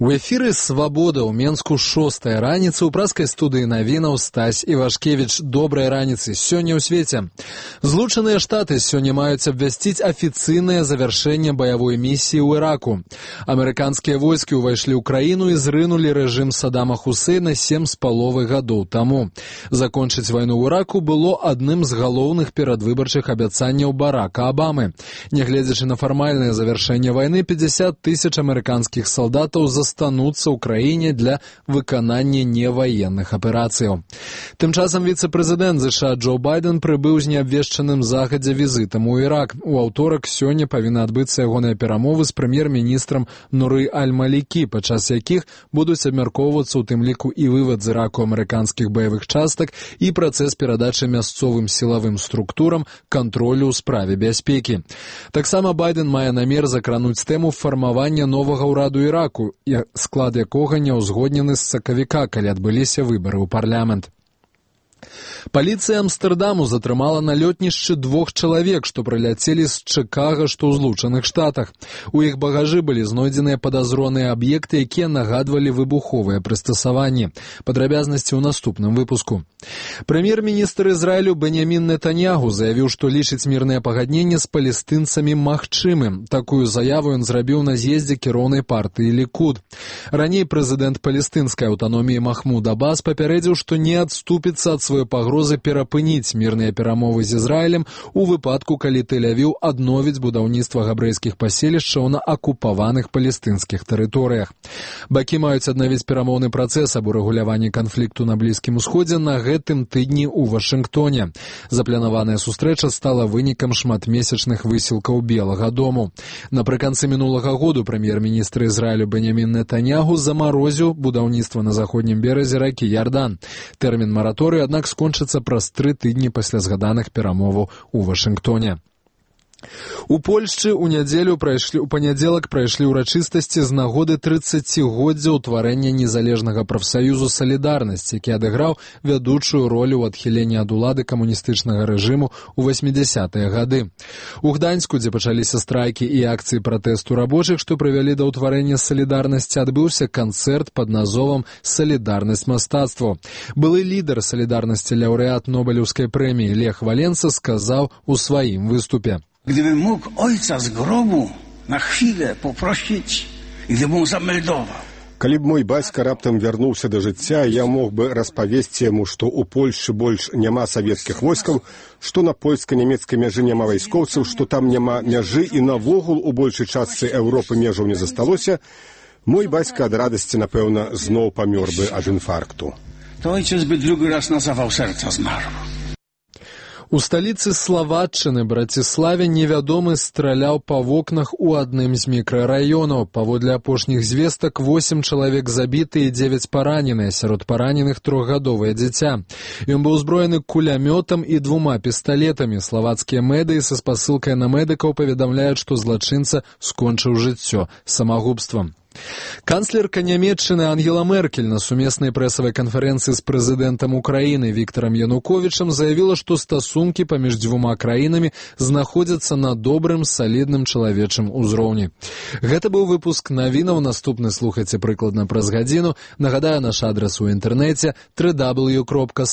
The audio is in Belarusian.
У эфіры «Свабода» ў Менску 6-я раніца ў праскай студыі навінаў Стась Івашкевіч. Добрай раніцы. Сёння ў свеце. Злучаныя Штаты сёння маюць абвясціць афіцыйнае завяршэнне баявой місіі ў Іраку. Амерыканскія войскі ўвайшлі ў краіну і зрынулі рэжым Саддама Хусейна 7,5 гадоў таму. Закончыць вайну ў Іраку было адным з галоўных перадвыбарчых абяцанняў Барака Абамы. Нягледзячы на фармальнае завяршэнне вайны, 50 000 амерыканскіх салдатаў застануцца ў краіне для выканання неваенных аперацыяў. Тым часам віцэ-прэзідэнт ЗША Джо Байден прыбыў з неабвешчаным загадзя візітам у Ірак. У аўторак сёння павінна адбыцца ягоныя перамовы з прэм'ер-міністрам Нуры Аль-Малікі, падчас якіх будуць абмяркоўвацца ў тым ліку і вывад з Іраку амерыканскіх баявых частак і працэс перадачы мясцовым сілавым структурам кантролю ў справе бяспекі. Таксама Байден мае намер закрануць тэму фармавання новага ўраду Іраку, склад якога не ўзгоднены з сакавіка, калі адбыліся выбары ў парламент. Паліцыя Амстэрдаму затрымала на лётнішчы 2 чалавек, што прыляцелі з Чыкага, што ў Злучаных Штатах. У іх багажы былі знойдзеныя падазроныя аб'екты, якія нагадвалі выбуховыя прыстасаванні. Падрабязнасці ў наступным выпуску. Прэм'ер-міністр Ізраілю Беньямін Нетаньягу заявіў, што лічыць мірнае пагадненне з палестынцамі магчымым. Такую заяву ён зрабіў на з'ездзе кіроўнай партыі Лікуд. Раней прэзідэнт палестынскай аўтаноміі Махмуд Аббас папярэдзіў, што не адступіцца ад сваёй пагрозы перапыніць мірныя перамовы з Ізраілем у выпадку, калі Тель-Авіў адновіць будаўніцтва габрэйскіх паселішчаў на акупаваных палестынскіх тэрыторыях. Бакі маюць аднавіць перамоўны працэс аб урэгуляванні канфлікту на Блізкім Усходзе на гэтым тыдні ў Вашынгтоне. Запланаваная сустрэча стала вынікам шматмесячных высілкаў Белага дому. Напрыканцы мінулага году прэм'ер-міністр Ізраілю Беньямін Нетаньягу замарозіў будаўніцтва на заходнім беразе ракі Ярдан. Тэрмін мараторыю, аднак, скончыцца праз 3 тыдні пасля згаданых перамоваў у Вашынгтоне. У Польшчы у панядзелак прайшлі ўрачыстасці з нагоды 30-годдзя ўтварэння незалежнага прафсаюзу «Салідарнасць», які адыграў вядучую ролю ў адхіленні ад улады камуністычнага рэжыму ў 80-е гады. У Гданьску, дзе пачаліся страйкі і акцыі пратэсту рабочых, што прывялі да ўтварэння «Салідарнасці», адбыўся канцэрт пад назовам «Салідарнасць мастацтва». Былы лідар «Салідарнасці» лаўрэат Нобелеўскай прэміі Лех Валенса сказаў у сваім выступе: Gdybym mógł ojca z grobu na chwilę poprosić, gdybym mu zameldował. Калі б мой бацька раптам вярнуўся да жыцця, я мог бы распавесці яму, што ў Польшчы больш няма савецкіх войскаў, што на польска-нямецкай мяжы няма вайскоўцаў, што там няма мяжы і навогул у большай частцы Еўропы межаў не засталося, мой бацька ад радасці, напэўна, зноў памёр бы ад інфаркту. To ojciec by drugi raz na zawał serca zmarł. У сталіцы Славатчыны, Браціславе, невядомы страляў па вокнах у адным з мікрараёнаў. Паводле апошніх звестак, 8 чалавек забіты і 9 параненыя, сярод параненых 3гадовае дзіця. Ён быў узброены кулямётам і 2 пісталетамі. Славацкія медыі са спасылкай на медыкаў паведамляюць, што злачынца скончыў жыццё самагубствам. Канцлерка Нямецчыны Ангела Меркель на сумеснай прэсавай канферэнцыі з прэзідэнтам Украіны Віктарам Януковічам заявіла, што стасункі паміж 2 краінамі знаходзяцца на добрым, салідным чалавечым узроўні. Гэта быў выпуск навінаў. Наступны слухайце прыкладна праз гадзіну. Нагадаю, наш адрас у інтэрнэце www.swabodka.pl